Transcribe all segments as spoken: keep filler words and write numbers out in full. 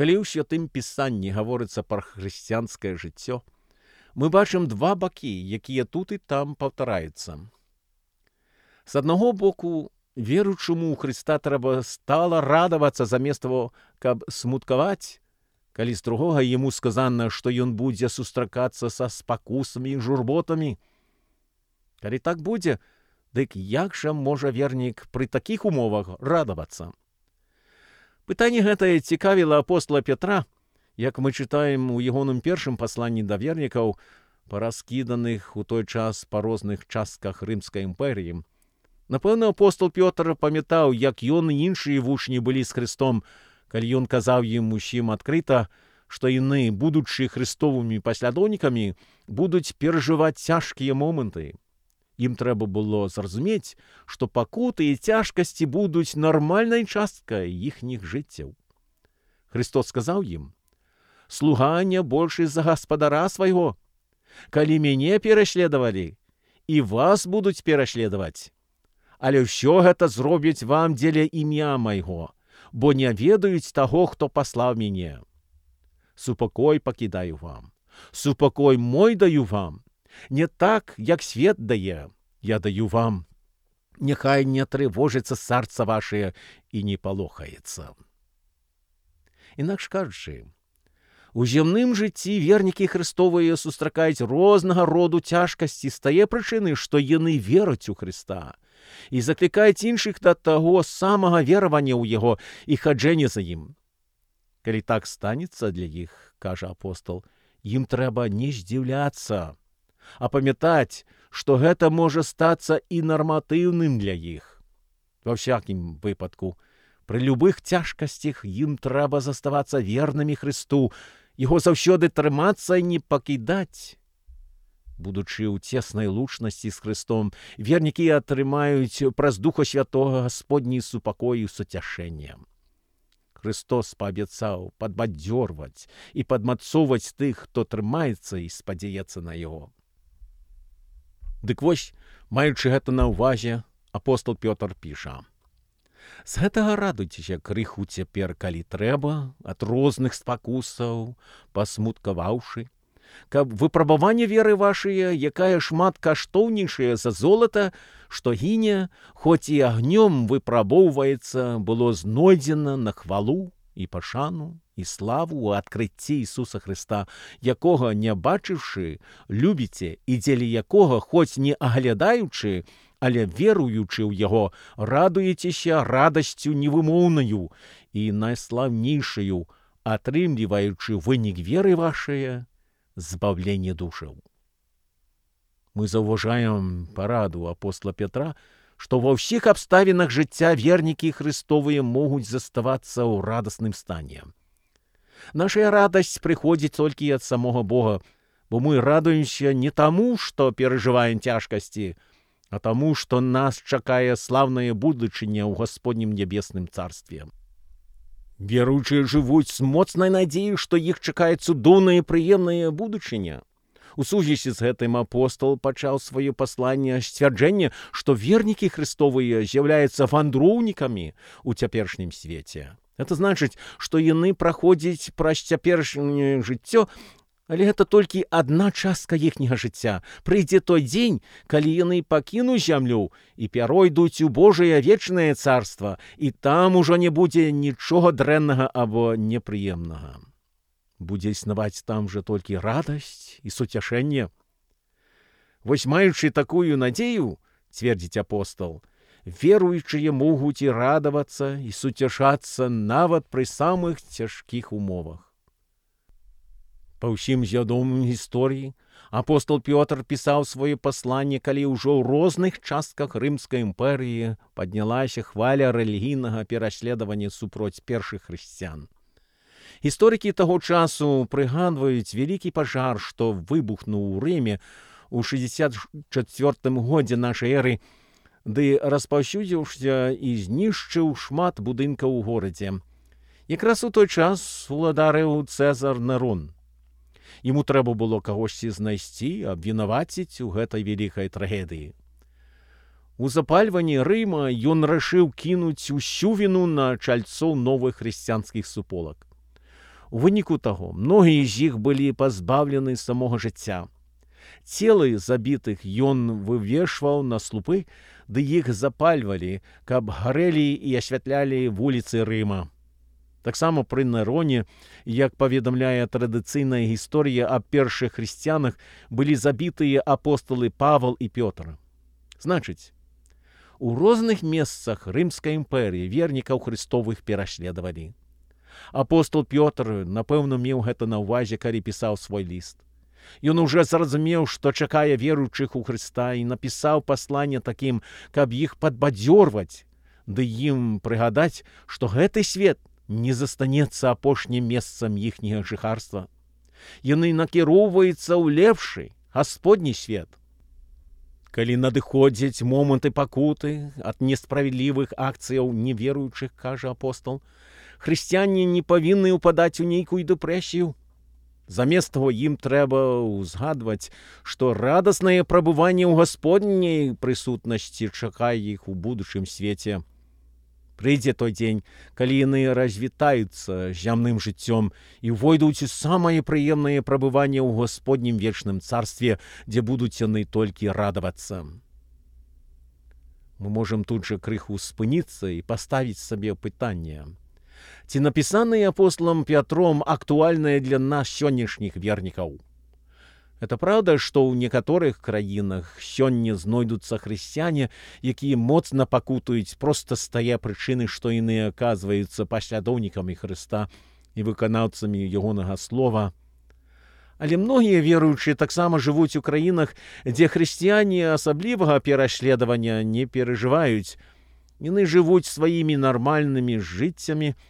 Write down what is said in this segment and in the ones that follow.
Калі ў святым пісанні гаворыцца пра хрысціянскае жыццё, мы бачым два бакі, якія тут і там паўтараюцца. З аднаго боку, веруючаму ў Хрыста трэба стала радавацца замест таго, каб смуткаваць, калі з другога яму сказана, што ён будзе сустракацца са спакусамі і журботамі. Калі так будзе, дык як жа можа вернік пры такіх умовах радавацца? Пытанне гэтае цікавіла апостола Петра, як мы чытаем у ягоным першым пасланні да вернікаў, параскіданых у той час па розных частках Рымскай імперыі. Напэўна, апостол Пётр памятаў, як ён і іншыя вучні былі з Христом, калі ён казаў ім усім адкрыта, што яны, будучы хрыстовымі паслядоўнікамі, будуць перажываць цяжкія моманты. Ім трэба было зразумець, што пакуты і цяжкасці будуць нармальнай часткай іхніх жыццяў. Христос сказаў ім: «Слуга не большы за гаспадара свайго. Калі мяне пераследавалі, і вас будуць пераследаваць. Але ўсё гэта зробяць вам дзеля імя майго, бо не ведаюць таго, хто паслаў мяне. Супакой пакідаю вам, супакой мой даю вам. Не так, як свет дае, я даю вам. Няхай не трывожыцца сэрца вашае і не палохаецца». Інакш кажучы, у зямным жыцці вернікі Христовыя сустракаюць рознага роду цяжкасці з тае прычыны, што яны вераць у Хрыста і заклікаюць іншых да таго самага веравання ў Яго і хаджэння за ім. Калі так станецца для іх, кажа апостол, ім трэба не здзіўляцца, а памятаць, што гэта можа стацца і нарматыўным для іх. Ва ўсякім выпадку, пры любых цяжкасцях ім трэба заставацца вернымі Христу, Яго заўсёды трымацца і не пакідаць. Будучы ў цеснай лучнасці з Христом, вернікі атрымаюць праз Духа Святога Гасподні супакой і суцяшэнне. Христос паабяцаў падбадзёрваць і падмацоўваць тых, хто трымаецца і спадзяецца на Яго. Дык вось, маючы гэта на ўвазе, апостол Пётр піша: «З гэтага радуйцеся крыху цяпер, калі трэба, ад розных спакусаў, пасмуткаваўшы, каб выпрабаванне веры вашыя, якая шмат каштоўнейшая за золата, што гіне, хоць і агнём выпрабоўваецца, было знойдзена на хвалу і пашану і славу ў адкрыцці Ісуса Христа, якога, не бачыўшы, любіце і дзеля якога, хоць не аглядаючы, але веруючы ў Яго, радуецеся радасцю невымоўнаю і найслаўнейшаю, атрымліваючы вынік веры вашае, збаўленне душаў». Мы заўважаем параду апостола Петра, што ва ўсіх абставінах жыцця вернікі Христовыя могуць заставацца ў радасным стане. Нашая радасць прыходзіць толькі ад самога Бога, бо мы радуемся не таму, што перажываем цяжкасці, а таму, што нас чакае слаўная будучыня ў Гасподнім нябесным царстве. Веруючыя жывуць з моцнай надзеяй, што іх чакае цудоўная і прыемная будучыня. У сувязі з гэтым апостол пачаў сваё пасланне сцвярджэння, што вернікі Христовыя з'яўляюцца вандроўнікамі ў цяперашнім свеце. Гэта значыць, што яны праходзяць праз цяперашняе жыццё, але гэта толькі адна частка іхняга жыцця. Прыйдзе той дзень, калі яны пакінуць зямлю і пяройдуць у Божае вечнае царства, і там ужо не будзе нічога дрэннага або непрыемнага. Будзе існаваць там жа толькі радасць і суцяшэнне. Вось маючы такую надзею, цвердзіць апостол, веруючыя могуць і радавацца і суцяшацца нават пры самых цяжкіх умовах. Па ўсім вядомым гісторыі апостол Пётр пісаў сваё пасланне, калі ўжо ў розных частках Рымскай імперыі паднялася хваля рэлігійнага пераследавання супроць першых хрысціян. Гісторыкі таго часу прыгадваюць вялікі пажар, што выбухнуў у Рыме ў шэсцьдзесят чацвёртым годзе нашай эры, ды распаўсюдзіўся і знішчыў шмат будынкаў у горадзе. Якраз у той час уладарыў Цэзар Нерон. Яму трэба было кагосьці знайсці, абвінаваціць у гэтай вялікай трагедыі. У запальванні Рыма ён рашыў кінуць усю віну на чальцоў новых хрысціянскіх суполак. У выніку таго, многія з іх былі пазбаўлены самога жыцця. Целы забітых ён вывешваў на слупы, ды іх запальвалі, каб гарэлі і асвятлялі вуліцы Рыма. Таксама пры Нероне, як паведамляе традыцыйная гісторыя аб першых хрысціянах, былі забітыя апосталы Павал і Пётр. Значыць, у розных месцах Рымскай імперыі вернікаў Христовых пераследавалі. Апостол Пётр, напэўна, меў гэта на ўвазе, калі пісаў свой ліст. Ён уже зразумеў, што чакае веруючых у Хрыста, і напісаў пасланне такім, каб іх падбадзёрваць, ды ім прыгадаць, што гэты свет не застанецца апошнім месцам іхняга жыхарства. Яны накіроўваюцца ў лепшы, гасподні свет. Калі надыходзяць моманты пакуты ад несправядлівых акцыяў неверуючых, кажа апостол, хрысціяне не павінны ўпадаць у нейкую дэпрэсію. Замест таго ім трэба ўзгадваць, што радаснае прабыванне ў гасподняй прысутнасці чакае іх у будучым свеце. Прыйдзе той дзень, калі яны развітаюцца зямным жыццём і ўвойдуць у самае прыемнае прабыванне ў гасподнім вечным царстве, дзе будуць яны толькі радавацца. Мы можам тут жа крыху спыніцца і паставіць сабе пытанне. Ці напісанае апостолам Пятром актуальнае для нас сённяшніх вернікаў? Это праўда, што ў некаторых краінах сёння знойдуцца хрысціяне, якія моцна пакутуюць проста з тае прычыны, што яны аказваюцца паслядоўнікамі Хрыста і выканаўцамі ягонага слова. Але многія веруючыя таксама жывуць у краінах, дзе хрысціяне асаблівага пераследавання не перажываюць. Яны жывуць сваімі нармальнымі жыццямі.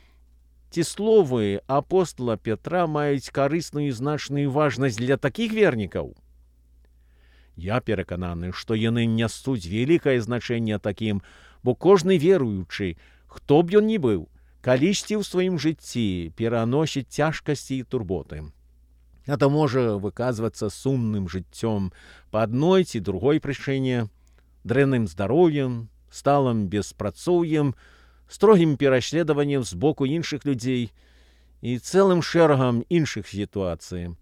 Ці словы апостола Петра маюць карысную і значную важнасць для такіх вернікаў? Я перакананы, што яны нясуць вялікае значэнне такім, бо кожны веруючы, хто б ён ні быў, калісьці ў сваім жыцці пераносіць цяжкасці і турботы. Гэта можа выказвацца сумным жыццём па адной ці другой прычыне, дрэнным здароўем, сталым беспрацоўем, строгім пераследаваннем з боку іншых людзей і цэлым шэрагам іншых сітуацый.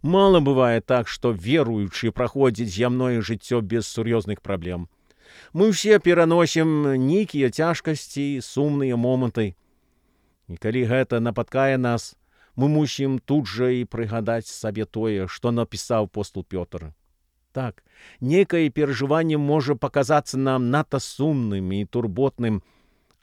Мала бывае так, што веруючы праходзіць зямное жыццё без сур'ёзных праблем. Мы ўсе пераносім нейкія цяжкасці, сумныя моманты. І калі гэта напаткае нас, мы мусім тут жа і прыгадаць сабе тое, што напісаў апостол Пётр. Так, нейкае перажыванне можа паказацца нам надта сумным і турботным,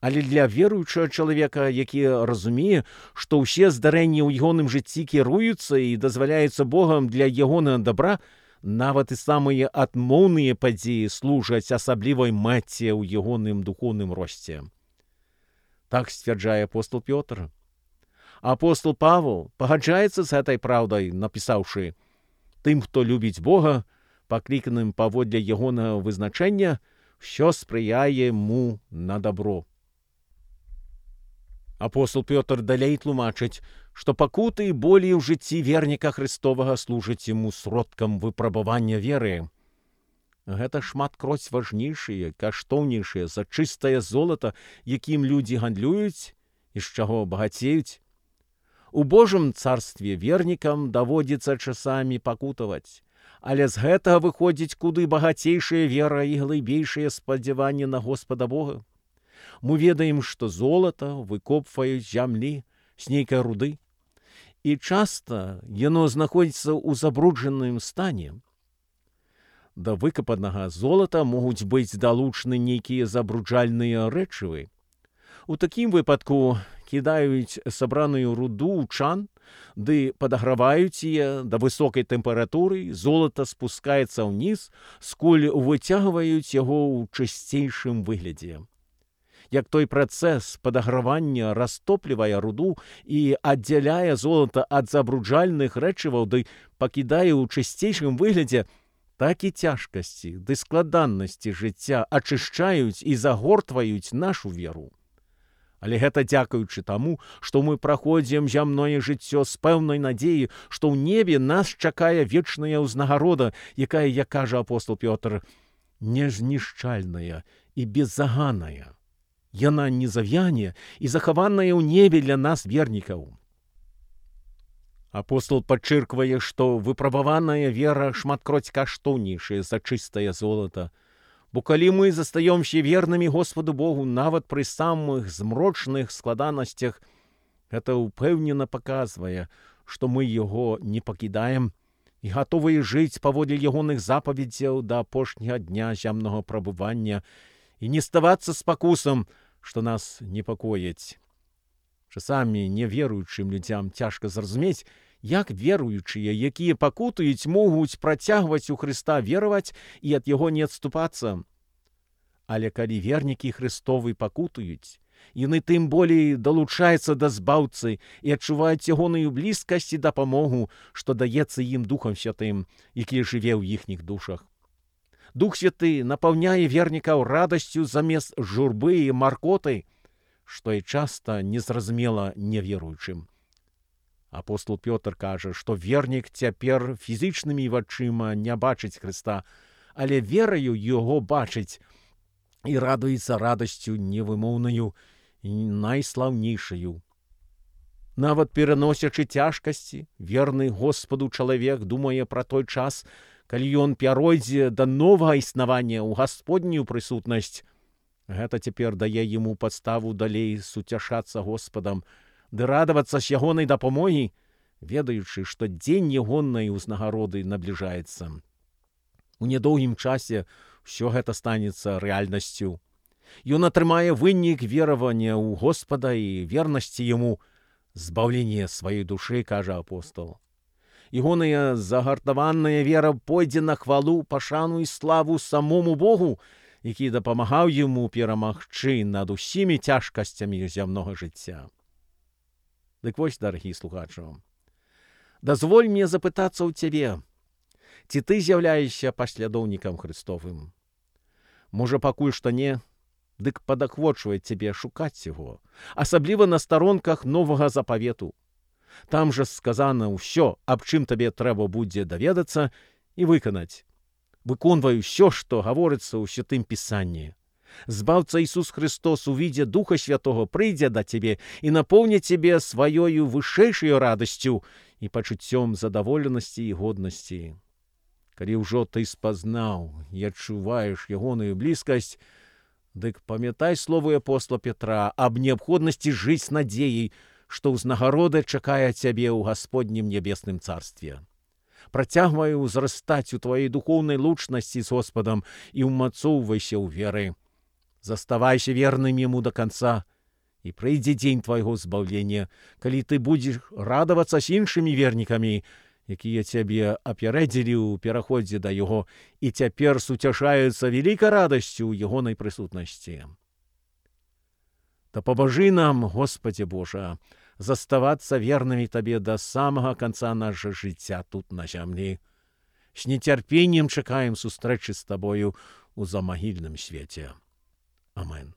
але для веруючага чалавека, які разумее, што ўсе здарэнні ў ягоным жыцці кіруюцца і дазваляюцца Богам для ягонага дабра, нават і самыя адмоўныя падзеі служаць асаблівай мэце ў ягоным духоўным росце. Так сцвярджае апостол Пётр. Апостол Павел пагаджаецца з гэтай праўдай, напісаўшы: «Тым, хто любіць Бога, пакліканым паводле ягонага вызначэння, ўсё спрыяе яму на дабро». Апостол Пётр далей тлумачыць, што пакуты і болі ў жыцці верніка Христовага служаць яму сродкам выпрабавання веры. Гэта шматкроць важнейшыя, каштоўнейшыя за чыстае золата, якім людзі гандлююць і з чаго багацеюць. У Божым царстве вернікам даводзіцца часамі пакутаваць, але з гэтага выходзіць куды багацейшая вера і глыбейшае спадзяванне на Господа Бога. Мы ведаем, што золата выкопваюць зямлі з нейкай руды, і часта яно знаходзіцца ў забруджаным стане. Да выкапанага золата могуць быць далучаны нейкія забруджальныя рэчывы. У такім выпадку кідаюць сабраную руду ў чан, ды падаграваюць яе да высокай тэмпературы, золата спускаецца ўніз, скуль выцягваюць яго ў чысцейшым выглядзе. Як той працэс падагравання растоплівае руду і аддзяляе золата ад забруджальных рэчываў ды пакідае ў чысцейшым выглядзе, так і цяжкасці ды складаннасці жыцця ачышчаюць і загортваюць нашу веру. Але гэта дзякуючы таму, што мы праходзім зямное жыццё з пэўнай надзеяй, што ў небе нас чакае вечная ўзнагарода, якая, як кажа апостол Пётр, незнішчальная і беззаганная. Яна не завяне і захаваная ў небе для нас вернікаў. Апостол падчырквае, што выпрабаваная вера шматкроць каштоўнейшая за чыстае золата. Бо калі мы застаёмся вернымі Господу Богу нават пры самых змрочных складанасцях, гэта ўпэўнена паказвае, што мы Яго не пакідаем і гатовыя жыць паводле ягоных запаведзяў да апошняга дня зямнага прабывання і не ставацца спакусам, што нас непакоіць. Часамі неверуючым людзям цяжка зразумець, як веруючыя, якія пакутуюць, могуць працягваць у Хрыста вераваць і ад Яго не адступацца. Але калі вернікі Хрыстовы пакутуюць, яны тым болей далучаюцца да збаўцы і адчуваюць ягоную блізкасць і дапамогу, што даецца ім Духам Святым, які жыве ў іхніх душах. Дух Святы напаўняе вернікаў радасцю замест журбы і маркоты, што і часта незразумела неверуючым. Апостол Пётр кажа, што вернік цяпер фізічнымі вачыма не бачыць Хрыста, але вераю Яго бачыць і радуецца радасцю невымоўнаю і найслаўнейшаю. Нават пераносячы цяжкасці, верны Господу чалавек думае пра той час, калі ён пяройдзе да новага існавання ў Гасподнюю прысутнасць. Гэта цяпер дае яму падставу далей суцяшацца Господам, ды радавацца з ягонай дапамогі, ведаючы, што дзень ягонай узнагароды набліжаецца. У нядоўгім часе ўсё гэта станецца рэальнасцю. Ён атрымае вынік веравання ў Господа і вернасці яму, збаўленне сваёй душы, кажа апостол. Ягоная загартаваная вера пойдзе на хвалу, пашану і славу самому Богу, які дапамагаў яму перамагчы над усімі цяжкасцямі зямнога жыцця. Дык вось, дарагі слухачу, дазволь мне запытацца ў цябе, ці ты з'яўляешся паслядоўнікам Хрыстовым? Можа, пакуль што не, дык падахвочвае цябе шукаць яго, асабліва на старонках новага запавету. Там жа сказана ўсё, аб чым табе трэба будзе даведацца і выканаць. Выконвай усё, што гаворыцца ў Святым Пісанні. Збаўца Ісус Христос у відзе Духа Святого прыйдзе да цябе і напоўніць цябе сваёю вышэйшаю радасцю і пачуццём задаволенасці і годнасці. Калі ўжо ты спазнаў і адчуваеш ягоную блізкасць, дык памятай словы апостола Петра аб неабходнасці жыць з надзеяй, што ўзнагарода чакае цябе ў Гасподнім нябесным царстве. Працягвай узрастаць у тваёй духоўнай лучнасці з Господам і ўмацоўвайся ў веры. Заставайся верным яму да канца, і прыйдзе дзень твайго збаўлення, калі ты будзеш радавацца з іншымі вернікамі, якія цябе апярэдзілі ў пераходзе да яго і цяпер суцяшаюцца вялікай радасцю ў ягонай прысутнасці. Дапамажы нам, Господзе Божа, заставацца вернымі табе да самага канца нашага жыцця тут на зямлі. З нецярпеннем чакаем сустрэчы з табою ў замагільным свеце. Амен.